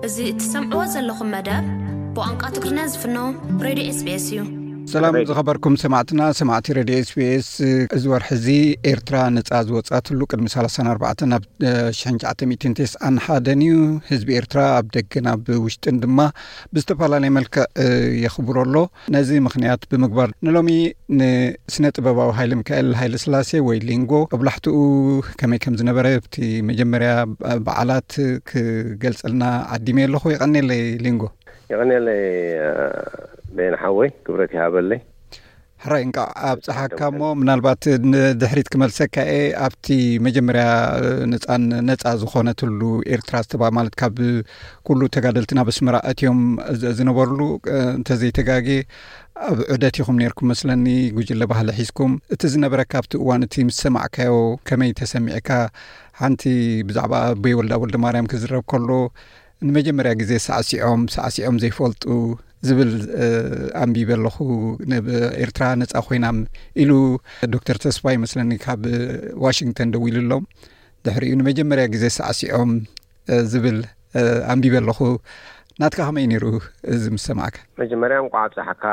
እዚ እትሰምዕዎ ዘለኹም መደብ ብቋንቋ ትግርኛ ዝፍኖ ሬድዮ ኤስቢኤስ እዩ። ሰላም ዝኸበርኩም ሰማዕትና፣ ሰማዕቲ ሬድዮ ኤስቢኤስ። እዚ ወርሒ እዚ ኤርትራ ነጻ ዝወጻትሉ ቅድሚ ሰላሳን ኣርባዕተን ኣብ ሽሕን ትሽዓተ ሚእትን ተስዓን ሓደን እዩ። ህዝቢ ኤርትራ ኣብ ደገን ኣብ ውሽጥን ድማ ብዝተፈላለየ መልክዕ የኽብሮ ኣሎ። ነዚ ምኽንያት ብምግባር ንሎሚ ንስነ ጥበባዊ ሃይለ ሚካኤል ሃይለ ስላሴ ወይ ሊንጎ ጦብላሕትኡ ከመይ ከም ዝነበረ ኣብቲ መጀመርያ በዓላት ክገልጸልና ዓዲመ ኣለኹ። የቐኔለይ ሊንጎ። የቐኔለይ በየን ሓወይ፣ ክብረት ይሃበለይ። ሕራይ እንቃዕ ኣብጽሓካ። እሞ ምናልባት ንድሕሪት ክመልሰካ እየ። ኣብቲ መጀመርያ ነጻን ነጻ ዝኾነትሉ ኤርትራ ዝተባ ማለት ካብ ኩሉ ተጋደልትና በስመራ እትዮም ዝነበርሉ እንተዘይተጋጌ ኣብ ዑደት ኢኹም ነርኩም መስለኒ። ጉጅለ ባህሊ ሒዝኩም እቲ ዝነበረካ ኣብቲ እዋን እቲ ምስ ሰማዕካዮ ከመይ ተሰሚዕካ? ሓንቲ ብዛዕባ ኣቦይ ወልዳ ወልደ ማርያም ክዝረብ ከሎ ንመጀመርያ ግዜ ሳዕሲዖም ሳዕሲዖም ዘይፈልጡ ዝብል ኣንቢበ ኣለኹ። ኤርትራ ነጻ ኮይና ኢሉ ዶክተር ተስፋ ይመስለኒ ካብ ዋሽንግተን ደዊሉሎም። ድሕሪኡ ንመጀመርያ ግዜ ሳዕሲዖም ዝብል ኣንቢበ ኣለኹ። ናትካ ከመይ ነይሩ እዚ ምስ ሰማዕካ? መጀመርያ እንቋዕ ኣብፀሓካ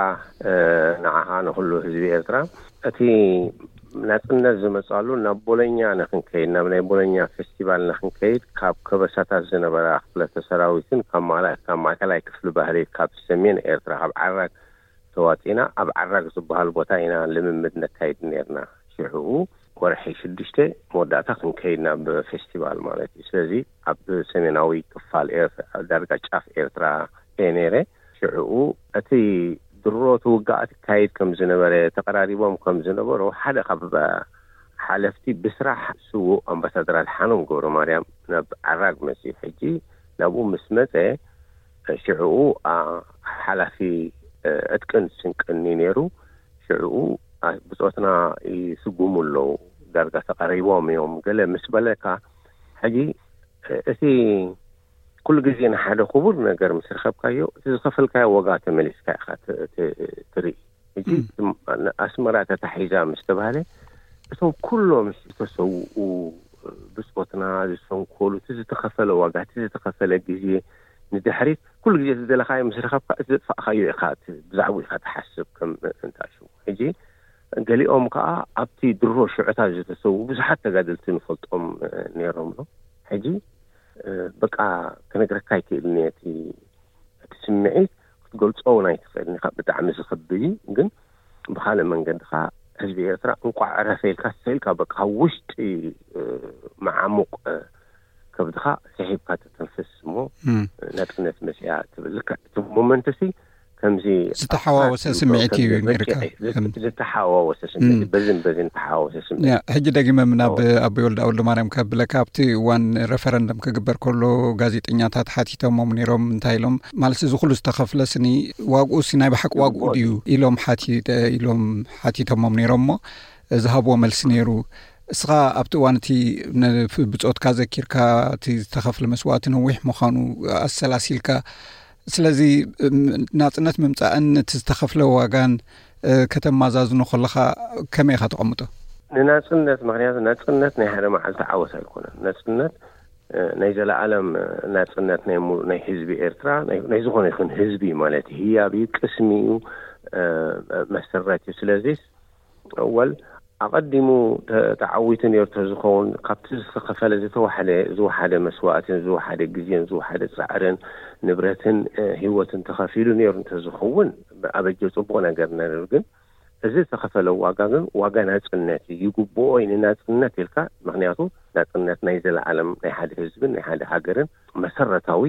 ንዓኻ ንኩሉ ህዝቢ ኤርትራ። እቲ ናጽነት ዝመጻሉ ናብ ቦሎኛ ንክንከይድ፣ ናብ ናይ ቦሎኛ ፌስቲቫል ንክንከይድ ካብ ከበሳታት ዝነበራ ክፍለተ ሰራዊትን ካብ ማእከላይ ክፍሊ ባህሊ ካብ ሰሜን ኤርትራ ካብ ዓራግ ተዋጺና ኣብ ዓራግ ዝበሃል ቦታ ኢና ልምምድ ነካይድ ነርና። ሽዑ ወርሒ ሽዱሽተ መወዳእታ ክንከይድ ናብ ፌስቲቫል ማለት እዩ። ስለዚ ኣብ ሰሜናዊ ክፋል ዳርጋ ጫፍ ኤርትራ እየ ነይረ። ሽዑኡ እቲ ድሮ ትውጋእ ትካየድ ከም ዝነበረ ተቐራሪቦም ከም ዝነበሩ ሓደ ካብ ሓለፍቲ ብስራሕ ስዉእ ኣምባሳደር ኣድሓኖም ገብረ ማርያም ናብ ዓራግ መፅዩ። ሕጂ ናብኡ ምስ መፀ ሽዕኡ ሓላፊ ዕጥቅን ስንቅን ነይሩ። ሽዕኡ ብፆትና ይስጉሙ ኣለዉ፣ ዳርጋ ተቐሪቦም እዮም ገለ ምስ በለካ፣ ሕጂ እቲ ኩሉ ግዜ ንሓደ ክቡር ነገር ምስ ረኸብካዮ እቲ ዝኸፈልካዮ ዋጋ ተመሊስካ ኢኻ ትርኢ። ሕጂ ኣስመራ ተታሒዛ ምስ ተባህለ እቶም ኩሎም ዝተሰውኡ ብፆትና ዝሰንኮሉ እቲ ዝተኸፈለ ዋጋ እቲ ዝተኸፈለ ግዜ ንድሕሪት ኩሉ ግዜ ዝደለኻዮ ምስ ረኸብካ እቲ ዘጥፋእካዮ ኢኻ ብዛዕባኡ ኢኻ ትሓስብ ከም እንታሽሙ። ሕጂ ገሊኦም ከዓ ኣብቲ ድሮ ሽዑታት ዝተሰዉ ብዙሓት ተጋደልቲ ንፈልጦም ነይሮም ዶ። ሕጂ በቃ ክነግረካ ኣይክእልን እየ። እቲ እቲ ስምዒት ክትገልጾ እውን ኣይትኽእልን ኢኻ። ብጣዕሚ ዝኸብድ እዩ። ግን ብኻልእ መንገዲ ኸዓ ህዝቢ ኤርትራ እንቋዕ ዕረፈ ኢልካ ሰኢልካ በቃ ውሽጢ መዓሙቕ ከብድኻ ስሒብካ ትተንፍስ እሞ ነጥነት መፅያ ትብል። ልክዕ እቲ ሞመንት ሲ ከምዚ ዝተሓዋወሰ ስምዒት እዩ ነይርካ። ዝተሓዋወሰ ስምዒት በዝን በዝን ተሓዋወሰ ስምዒት። ሕጂ ደጊመ ናብ ኣቦይ ወልደ ኣወልደ ማርያም ከብለካ ኣብቲ እዋን ረፈረንደም ክግበር ከሎ ጋዜጠኛታት ሓቲቶሞም ነይሮም። እንታይ ኢሎም ማለት እዚ ኩሉ ዝተኸፍለ ስኒ ዋግኡ ሲ ናይ ብሓቂ ዋግኡ ድዩ ኢሎም ኢሎም ሓቲቶሞም ነይሮም እሞ ዝሃብዎ መልሲ ነይሩ። እስኻ ኣብቲ እዋን እቲ ብፆትካ ዘኪርካ እቲ ዝተኸፍለ መስዋእቲ ነዊሕ ምዃኑ ኣሰላሲልካ ስለዚ ናጽነት ምምጻእን እቲ ዝተኸፍለ ዋጋን ከተማዛዝኖ ከለኻ ከመይ ኢኻ ተቐምጦ? ንናጽነት ምክንያቱ ናጽነት ናይ ሓደ መዓልቲ ዓወት ኣይኮነን። ናጽነት ናይ ዘለኣለም ናጽነት ናይ ህዝቢ ኤርትራ ናይ ዝኾነ ይኹን ህዝቢ ማለት ህያብ እዩ፣ ቅስሚ እዩ፣ መሰረት እዩ። ስለዚ ወል ኣቐዲሙ ተዓዊቱ ነይሩ ተዝኸውን ካብቲ ዝተኸፈለ ዝተዋሕደ ዝወሓደ መስዋእትን ዝወሓደ ግዜን ዝወሓደ ፃዕርን ንብረትን ህይወትን ተኸፊሉ ነይሩ እንተዝኸውን ኣበጀ ፅቡቕ ነገር ነይሩ። ግን እዚ ዝተኸፈለ ዋጋ ግን ዋጋ ናፅነት እዩ። ይግብኦ እዩ ንናፅነት ኢልካ። ምክንያቱ ናፅነት ናይ ዘለዓለም ናይ ሓደ ህዝብን ናይ ሓደ ሃገርን መሰረታዊ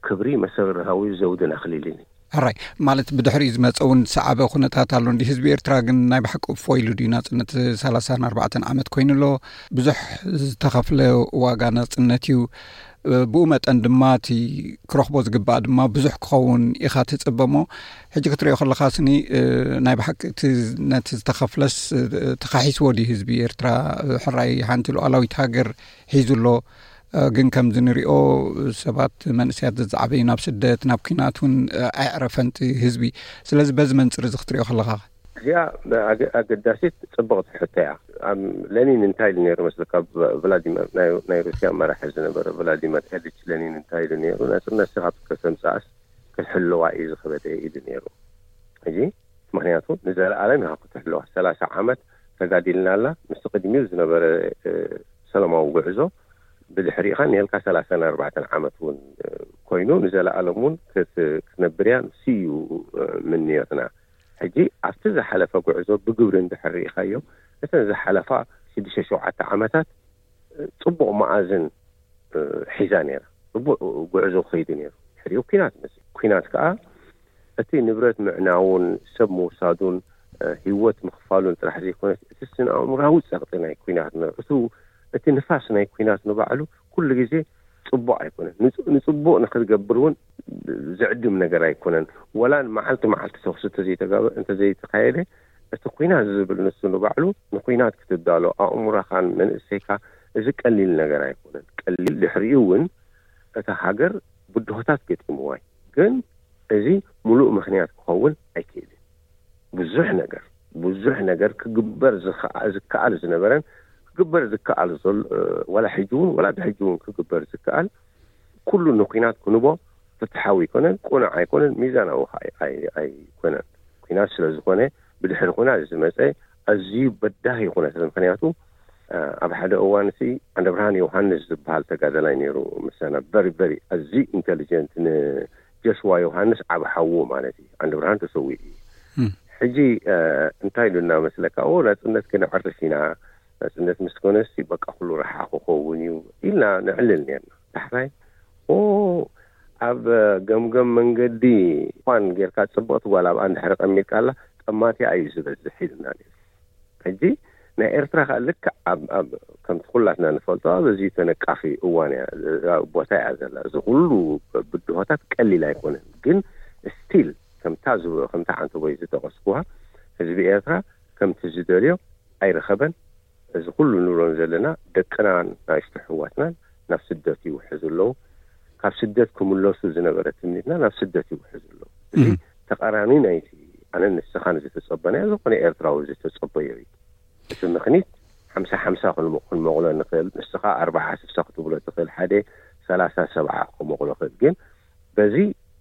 ክብሪ መሰረታዊ ዘውድን ኣኽሊልን እዩ። ሕራይ ማለት ብድሕሪኡ ዝመፀ እውን ሰዓበ ኩነታት ኣሎ እንዲ ህዝቢ ኤርትራ ግን ናይ ብሓቂ እፎ ኢሉ ድዩ ናፅነት ሰላሳን ኣርባዕተን ዓመት ኮይኑ ኣሎ። ብዙሕ ዝተኸፍለ ዋጋ ናፅነት እዩ። ብኡ መጠን ድማ እቲ ክረኽቦ ዝግባእ ድማ ብዙሕ ክኸውን ኢኻ ትፅበሞ። ሕጂ ክትሪኦ ከለኻ ስኒ ናይ ብሓቂ ነቲ ዝተኸፍለስ ተኻሒስዎ ድዩ ህዝቢ ኤርትራ? ሕራይ ሓንቲ ሉዓላዊት ሃገር ሒዙ ኣሎ። ግን ከምዚ ንሪኦ ሰባት መንእሰያት ዘዝዓበዩ ናብ ስደት ናብ ኲናት እውን ኣየዕረፈንቲ ህዝቢ። ስለዚ በዚ መንፅር እዚ ክትሪኦ ከለኻ እዚኣ ኣገ- ኣገዳሲት ጽብቕቲ ሕቶ እያ። ኣብ ለኒን እንታይ ኢሉ ነይሩ መስለካ? ቭ- ቭላዲመር ናይ ናይ ሩስያ መራሒ ዝነበረ ቭላዲመር ኤሊች ለኒን እንታይ ኢሉ ነይሩ? ናጽነት ስኻ ከተምጽኣስ ክትሕልዋ እዩ ዝኸበደ ኢሉ ነይሩ። እዚ ምኽንያቱ ንዘለኣለም ኢኻ ክትሕልዋ። ሰላሳ ዓመት ተጋዲልና ኣላ። ምስ ቅድሚኡ ዝነበረ እ፣ ሰላማዊ ጉዕዞ ብድሕሪኻ ንልካ ሰላሳን ኣርባዕተን ዓመት እውን እ፣ ኮይኑ ንዘለኣለም እውን ክት- ክትነብር እያ። ንሱ እዩ እ፣ ምንዮትና። ሕጂ ኣብቲ ዝሓለፈ ጉዕዞ ብግብሪ እንድሕር ርኢኻዮ፣ እተን ዝሓለፋ ሽዱሽተ ሸውዓተ ዓመታት ጽቡቕ መኣዝን እ፣ ሒዛ ነይራ። ጽቡቕ ጉዕዞ ክኸይዱ ነይሩ። ድሕሪኡ ኲናት መጽእ። ኲናት ከኣ እቲ ንብረት ምዕናውን ሰብ ምውሳዱን እ፣ ህይወት ምኽፋሉን ጥራሕ ዘይኮነስ እቲ ስነ ኣእምራዊ ጸቕጢ ናይ ኲናት ነ- እቱ እቲ ንፋስ ናይ ኲናት ንባዕሉ ኩሉ ግዜ ጽቡቕ ኣይኮነን። ንጽ- ንጽቡቕ ንክትገብር እውን ዝዕድም ነገር ኣይኮነን። ወላ መዓልቲ መዓልቲ ተኩሲ እንተዘይተጋበ እንተዘይተካየደ እቲ ኲናት ዝብል ንሱ ንባዕሉ ንኲናት ክትዳሎ ኣእምሮኻን መንእሰይካ እዚ ቀሊል ነገር ኣይኮነን። ቀሊል ድሕሪኡ እውን እታ ሃገር ብድሆታት ገጢምዋ እዩ። ግን እዚ ሙሉእ ምኽንያት ክኸውን ኣይክእልን። ብዙሕ ነገር ብዙሕ ነገር ክግበር ዝኸዓ- ዝከኣል ዝነበረን ክግበር ዝከኣል ዘሎ እ፣ ዋላ ሕጂ እውን ዋላ ብሕጂ እውን ክግበር ዝከኣል ኩሉ ንኲናት ክንቦ ፍትሓዊ ኣይኮነን፣ ቁኑዕ ኣይኮነን፣ ሚዛናዊ ኸዓ ኣይ- ኣይ- ኣይኮነን። ኲናት ስለ ዝኾነ ብድሕሪ ኲናት ዝመፀ ኣዝዩ በዳሂ ኩነታት። ምኽንያቱ እ፣ ኣብ ሓደ እዋን ሲ ዓንደብርሃን ዮሃንስ ዝበሃል ተጋዳላይ ነይሩ ምሳና። ቨሪ ቨሪ ኣዝዩ ኢንቴሊጀንት፣ ንጆሽዋ ዮሃንስ ዓብ ሓዉ ማለት እዩ። ዓንደብርሃን ተሰዊኡ እዩ። ሕጂ እ፣ እንታይ ኢሉና መስለካ? ኦ ናፅነት ከነዕርፍ ኢና፣ ናፅነት ምስ ኮነሲ በቃ ኩሉ ረሓ ክኸውን እዩ ኢልና ነዕልል ነርና። ዳሕራይ ኦ ኣብ ገምገም መንገዲ ኳን ጌርካ ፅብቕቲ ጓል ኣብኣ እንድሕር ቀሚጥካላ ጠማቲኣ እዩ ዝበዝሕ ኢሉና ነይሩ። ሕጂ ናይ ኤርትራ ከኣ ልክዕ ኣብ ኣብ ከምቲ ኩላትና ንፈልጦ ኣብ ኣዝዩ ተነቃፊ እዋን እያ እዛ ቦታ እያ ዘላ። እዚ ኩሉ ብድሆታት ቀሊል ኣይኮነን፣ ግን ስቲል ከምታ ዝ- ከምታ ዓንተቦይ ዝጠቀስኩዋ ህዝቢ ኤርትራ ከምቲ ዝደልዮ ኣይረኸበን። እዚ ኩሉ ንብሎም ዘለና ደቅና ናእሽቱ ኣሕዋትናን ናብ ስደት ይውሕዙ ኣለዉ። ካብ ስደት ክምለሱ ዝነበረ ትምኒትና ናብ ስደት ይውሕዙ ኣለዉ። እዚ ተቃራኒ ናይቲ ኣነ ንስኻን ዝተጸበናዮ ዝኾነ ኤርትራዊ ዝተጸበዮ እዩ። እቲ ምኽኒት ሓምሳ ሓምሳ ክንሞ- ክንመቕሎ ንኽእል፣ ንስኻ ኣርባዓ ስሳ ክትብሎ ትኽእል፣ ሓደ ሰላሳ ሰብዓ ክመቕሎ ክእል። ግን በዚ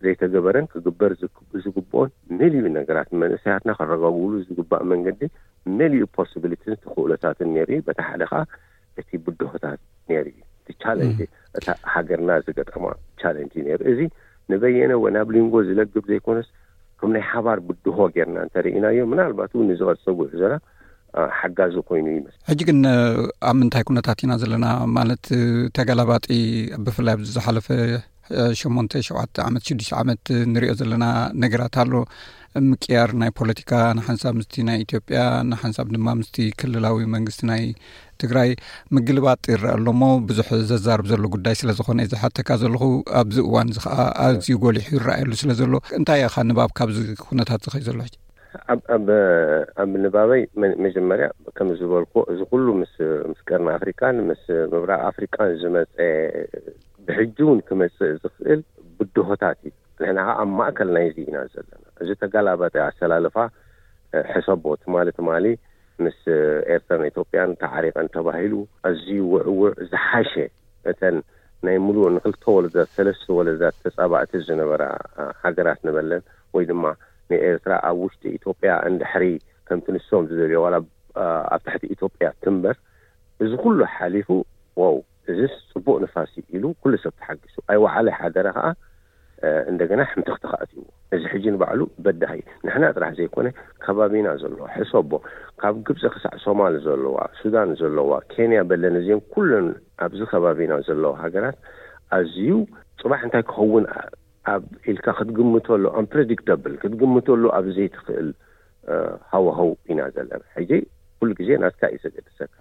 ዘይተገበረን ክግበር ዝግ- ዝግብኦን መሊኡ ነገራት ንመንእሰያትና ክረጋግሉ ዝግባእ መንገዲ መሊኡ ፖስብሊቲን ተኽእሎታትን ነይሩ እዩ። በቲ ሓደ ከዓ እቲ ብድሆታት ነይሩ እዩ። እቲ ቻለንጅ እታ ሃገርና ዝገጠማ ቻለንጅ ነይሩ። እዚ ንበየነ ወ ናብ ሊንጎ ዝለግብ ዘይኮነስ ከም ናይ ሓባር ብድሆ ጌርና እንተርኢናዮ ምናልባት እውን ንዝቐፀ ጉዕዞና ሓጋዚ ኮይኑ ይመስል። ሕጂ ግን ኣብ ምንታይ ኩነታት ኢና ዘለና? ማለት ተገላባጢ ብፍላይ ኣብዚ ዝሓለፈ ሸሞንተ ሸውዓተ ዓመት ሽዱሽተ ዓመት ንሪኦ ዘለና ነገራት ኣሎ። ምቅያር ናይ ፖለቲካ ንሓንሳብ ምስቲ ናይ ኢትዮጵያ ንሓንሳብ ድማ ምስቲ ክልላዊ መንግስቲ ናይ ትግራይ ምግልባጥ ይረአ ኣሎ እሞ ብዙሕ ዘዛርብ ዘሎ ጉዳይ ስለ ዝኾነ ዝሓተካ ዘለኹ ኣብዚ እዋን እዚ ከዓ ኣዝዩ ጎሊሑ ይረኣየሉ ስለ ዘሎ እንታይ ኢኻ ንባብ ካብዚ ኩነታት ዝኸይ ዘሎ ሕጂ? ኣብ ኣብ ኣብ ንባበይ መ- መጀመርያ ከም ዝበልኩ እዚ ኩሉ ምስ ምስ ቀርኒ ኣፍሪቃን ምስ ምብራቅ ኣፍሪቃን ዝመፀ ብሕጂ እውን ክመፅእ ዝኽእል ብድሆታት እዩ። ንሕና ከዓ ኣብ ማእከል ናይዚ ኢና ዘለና። እዚ ተጋላባጢ ኣሰላልፋ ሕሰቦ ትማሊ ትማሊ ምስ ኤርትራን ኢትዮጵያን ተዓሪቀን ተባሂሉ ኣዝዩ ውዕውዕ ዝሓሸ እተን ናይ ሙሉእ ንክልተ ወለዳት ሰለስተ ወለዳት ተፃባእቲ ዝነበራ ሃገራት ንበለን ወይ ድማ ንኤርትራ ኣብ ውሽጢ ኢትዮጵያ እንድሕሪ ከምቲ ንሶም ዝደልዮ ዋላ ኣብ ትሕቲ ኢትዮጵያ ትንበር እዚ ኩሉ ሓሊፉ ዋው እዚስ ፅቡቅ ንፋስ እዩ ኢሉ ኩሉ ሰብ ተሓጊሱ ኣይወዓለ ሓደረ ከዓ እንደገና ሕምትኽቲ ከኣትዎ እዚ ሕጂ ንባዕሉ በዳሂ ንሕና ጥራሕ ዘይኮነ ከባቢና ዘለዋ ሕሰቦ ካብ ግብፂ ክሳዕ ሶማል ዘለዋ ሱዳን ዘለዋ ኬንያ በለን እዚን ኩለን ኣብዚ ከባቢና ዘለዋ ሃገራት ኣዝዩ ፅባሕ እንታይ ክኸውን ኣብ ኢልካ ክትግምተሉ unpredictable ክትግምተሉ ኣብ ዘይትኽእል ሃዋሃው ኢና ዘለና ሕጂ ኩሉ ግዜ ናትካ እዩ ዘገድሰካ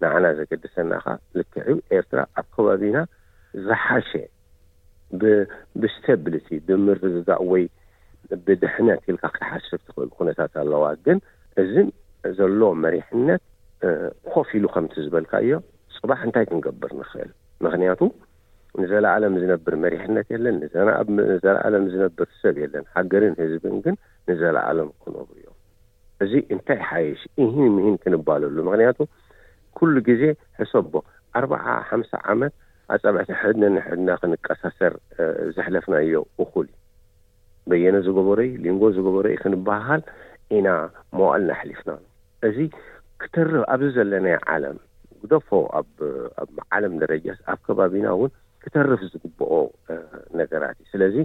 ንዓና ዘገድሰና ኸዓ ልክዕ እዩ ኤርትራ ኣብ ከባቢና ዝሓሸ ብስቴብሊቲ ብምርግጋእ ወይ ብድሕነት ኢልካ ክትሓስብ ትኽእል ኩነታት ኣለዋ ግን እዚ ዘሎ መሪሕነት ኮፍ ኢሉ ከምቲ ዝበልካዮ ፅባሕ እንታይ ክንገብር ንኽእል ምኽንያቱ ንዘለኣለም ዝነብር መሪሕነት የለን ንዘለኣለም ዝነብር ሰብ የለን ሃገርን ህዝብን ግን ንዘለኣለም ክነብሩ እዮም እዚ እንታይ ሓይሽ? ኢሂን ምሂን ክንባለሉ። ምኽንያቱ ኩሉ ግዜ ሕሰቦ፣ ኣርብዓ ሓምሳ ዓመት ኣጻብዕቲ ሕድነ ንሕድና ክንቀሳሰር፣ እ፣ ዘሕለፍናዮ እኹል እዩ። በየነ ዝገበሮይ፣ ሊንጎ ዝገበሮይ ክንበሃል ኢና መዋእልና ኣሕሊፍና። እዚ ክተርፍ ኣብዚ ዘለናዮ ዓለም፣ ግደፎ ኣብ፣ ኣብ ዓለም ደረጃስ ኣብ ከባቢና እውን ክተርፍ ዝግብኦ፣ እ፣ ነገራት እዩ። ስለዚ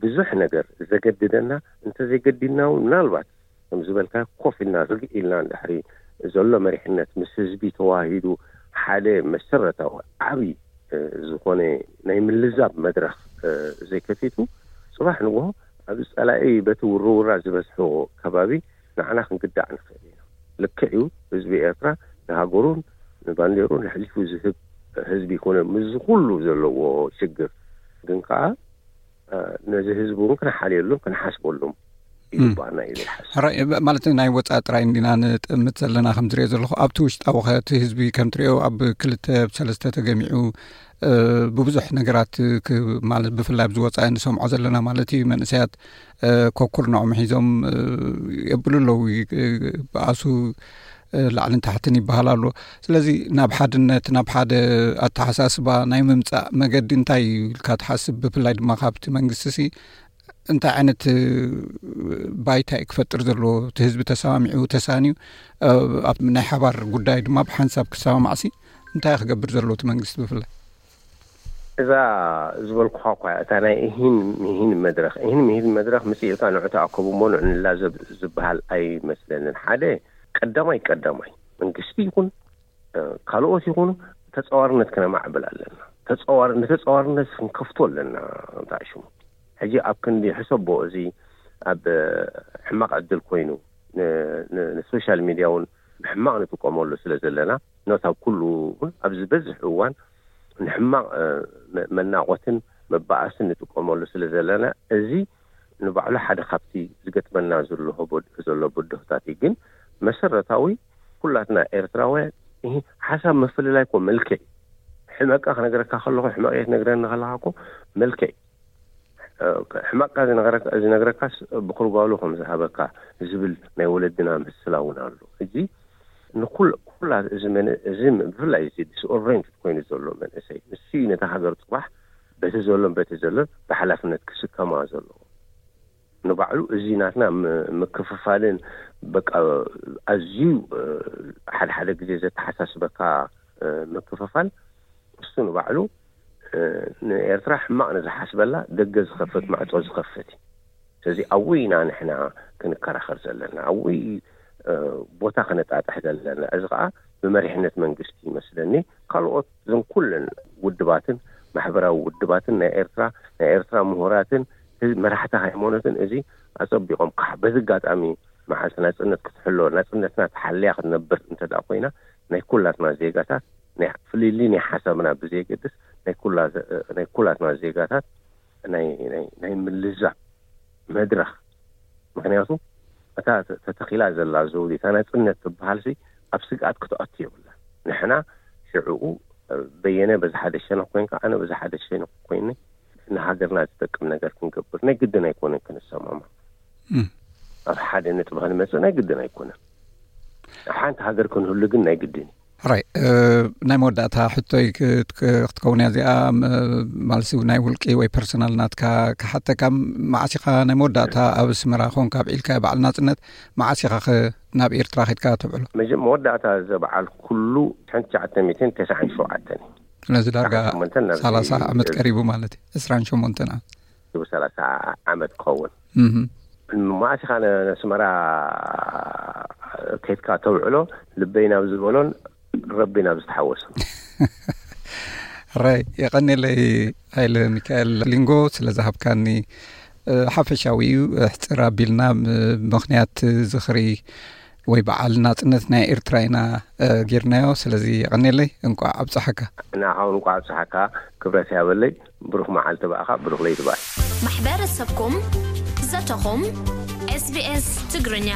ብዙሕ ነገር ዘገድደና እንተዘይገዲድና እውን ምናልባት ከም ዝበልካ ኮፍ ኢልና ርግእ ኢልና ድሕሪ ዘሎ መሪሕነት ምስ ህዝቢ ተዋሂዱ ሓደ መሰረታዊ ዓብዪ፣ እ፣ ዝኾነ ናይ ምልዛብ መድረኽ፣ እ፣ ዘይከፊቱ ጽባሕ ንግሆ ኣብ ጸላኢ በቲ ውርውራ ዝበዝሖ ከባቢ ንዓና ክንግዳዕ ንኽእል ኢና። ልክዕ እዩ፣ ህዝቢ ኤርትራ ንሃገሩን ንባንዴሩን ኣሕሊፉ ዝህብ ህዝቢ ይኮነ ምስ ኩሉ ዘለዎ ሽግር። ግን ከኣ፣ እ፣ ነዚ ህዝቢ እውን ክንሓልየሉን ክንሓስበሉም ይግባና እዩ ዝሓስብ። ሕራይ፣ ብ-፣ ማለት ናይ ወጻኢ ጥራይ እንዲና ንጥምት ዘለና ከም ዝሪኦ ዘለኹ፣ ኣብቲ ውሽጣዊ ኸ እቲ ህዝቢ ከም ትሪኦ ኣብ ክልተ ኣብ ሰለስተ ተገሚዑ፣ እ፣ ብብዙሕ ነገራት ክ-፣ ማለት ብፍላይ ኣብዚ ወጻኢ ንሰምዖ ዘለና ማለት እዩ፣ መንእሰያት፣ እ፣ ኮኩርናኦም ሒዞም፣ እ፣ የብሉ ኣለዉ፣ እ፣ ብኣሱ፣ እ፣ ላዕልን ታሕትን ይበሃል ኣሎ። ስለዚ ናብ ሓድነት፣ ናብ ሓደ ኣተሓሳስባ ናይ ምምጻእ መገዲ እንታይ እዩ ኢልካ ትሓስብ? ብፍላይ ድማ ካብቲ መንግስቲ ሲ እንታይ ዓይነት፣ እ፣ ባይታ እዩ ክፈጥር ዘለዎ? እቲ ህዝቢ ተሰማሚዑ፣ ተሳንዩ፣ እ፣ ኣብ ናይ ሓባር ጉዳይ ድማ ብሓንሳብ ክሰማማዕሲ እንታይ እዩ ክገብር ዘለዎ እቲ መንግስቲ ብፍላይ? እዛ ዝበልኩኻ እኳ እታ ናይ እሂን ምሂን መድረኽ፣ እሂን ምሂን መድረኽ ምስ ኢልካ ንዑ ተኣከቡ እሞ ንዑ ንላዘብ ዝበሃል ኣይመስለንን። ሓደ ቀዳማይ ቀዳማይ መንግስቲ ይኹን፣ እ፣ ካልኦት ይኹኑ ተጻዋርነት ክነማዕብል ኣለና። ተጻዋር-፣ ንተጻዋርነት ክንከፍቶ ኣለና። እንታይ ሽሙ ሕጂ ኣብ ክንዲ ሕሰቦ እዚ ኣብ፣ እ፣ ሕማቕ ዕድል ኮይኑ ን-፣ ን-፣ ንሶሻል ሚድያ እውን ብሕማቕ ንጥቀመሉ ስለ ዘለና፣ ኖት ኣብ ኩሉ እውን ኣብ ዝበዝሕ እዋን ንሕማቕ፣ እ፣ መ-፣ መናቖትን መባኣስን ንጥቀመሉ ስለ ዘለና፣ እዚ ንባዕሉ ሓደ ካብቲ ዝገጥመና ዘሎ በድ-፣ ዘሎ ብድሆታት እዩ። ግን መሰረታዊ ኩላትና ኤርትራውያን፣ እሂ፣ ሓሳብ ምፍልላይ እኮ መልክዕ እዩ። ሕመቃ ክነግረካ ከለኹ፣ ሕመቅ እየ ትነግረኒ ከለኻ እኮ መልክዕ እዩ። እ፣ ሕመቃ ዝነግረካ፣ ዝነግረካስ ብኩርባሉ ከም ዝሃበካ ዝብል ናይ ወለድና ምስላ እውን ኣሎ። እዚ ንኩል-፣ ኩላ እዚ መን-፣ እዚ ም-፣ ብፍላይ እዚ ዲስኦሬንትድ ኮይኑ ዘሎ መንእሰይ፣ ንሱ እዩ ነታ ሃገር ጽባሕ በቲ ዘሎን በቲ ዘሎን ብሓላፍነት ክስከማ ዘለዎ። ንባዕሉ እዚ ናትና ም-፣ ምክፍፋልን በቃ ኣዝዩ፣ እ፣ ሓደ ሓደ ግዜ ዘተሓሳስበካ፣ እ፣ ምክፍፋል እሱ ንባዕሉ፣ እ፣ ንኤርትራ ሕማቕ ንዝሓስበላ ደገ ዝኸፍት ማዕጾ ዝኸፍት እዩ። ስለዚ ኣብኡ ኢና ንሕና ክንከራኸር ዘለና፣ ኣብኡ፣ እ፣ ቦታ ክነጣጥሕ ዘለና። እዚ ኸኣ ብመሪሕነት መንግስቲ ይመስለኒ፣ ካልኦት እዞም ኩለን ውድባትን ማሕበራዊ ውድባትን ናይ ኤርትራ፣ ናይ ኤርትራ ምሁራትን ህዝ-፣ መራሕቲ ሃይማኖትን እዚ ኣጸቢቖም ካሕ-፣ በዚ ኣጋጣሚ መዓልቲ ናጽነት ክትሕሎ፣ ናጽነትና ተሓልያ ክትነብር እንተ ደኣ ኮይና፣ ናይ ኩላትና ዜጋታት፣ ናይ ፍልልይ ናይ ሓሳብና ብዘየገድስ፣ ናይ ኩላ-፣ ናይ ኩላትና ዜጋታት ናይ፣ ናይ፣ ናይ ምልዛብ መድረኽ። ምኽንያቱ እታ ተ-፣ ተተኺላ ዘላ ዘውዲ፣ እታ ናጽነት ትበሃልሲ ኣብ ስግኣት ክትኣቱ የብላ። ንሕና ሽዕኡ በየነ በዚ ሓደ ሸነኽ ኮይንካ፣ ኣነ በዚ ሓደ ሸነኽ ኮይነ ንሃገርና ዝጠቅም ነገር ክንገብር ናይ ግድን ኣይኮነን ክንሰማማዕ። እም። ኣብ ሓደ ነጥቢ ክንመጽእ ናይ ግድን ኣይኮነን። ኣብ ሓንቲ ሃገር ክንህሉ ግን ናይ ግድን እዩ። ሕራይ፣ እ፣ ናይ መወዳእታ ሕቶይ ክት-፣ ክትከውን እያ እዚኣ፣ ም-፣ ማለትሲ ናይ ውልቂ ወይ ፐርሰናል ናትካ ክሓተካ፣ መዓስ ኢኻ ናይ መወዳእታ ኣብ ኣስመራ ኮንካ ኣብዒልካ በዓል ናጽነት፣ መዓስ ኢኻ ኸ ናብ ኤርትራ ኸድካ ተብዕሎ? መጀ-፣ መወዳእታ ዘበዓል ኩሉ ሓንቲ ትሽዓተ ሚእትን ተስዓን ሸውዓተን እዩ። ስለዚ ዳርጋ ትሽዓን ሸሞንተን ናብዚ ሰላሳ ዓመት እዚ ቀሪቡ ማለት እዩ። ዕስራን ሸሞንተን ዓመት። ሰላሳ ዓመት ክኸውን። እህ። መዓስ ኢኻ ነ-፣ ነስመራ ከይድካ ተውዕሎ? ልበይ ናብ ዝበሎን ረቢ ናብ ዝተሓወሶን። ሕራይ፣ የቐኔለይ ሃይለ ሚካኤል ሊንጎ ስለ ዝሃብካኒ፣ እ፣ ሓፈሻዊ እዩ፣ ኣሕጽር ኣቢልና ም-፣ ምኽንያት ዝኽሪ ወይ በዓል ናጽነት ናይ ኤርትራ ኢና፣ እ፣ ጌርናዮ። ስለዚ የቐኔለይ፣ እንቋዕ ኣብጽሓካ። ንዓኻ እውን እንቋዕ ኣብጽሓካ፣ ክብረት ያበለይ። ብሩኽ መዓልቲ ብኣኻ፣ ብሩኽ ለይቲ ብኣይ። ማሕበረሰብኩም፣ ዘተኹም፣ ኤስ ቢ ኤስ ትግርኛ።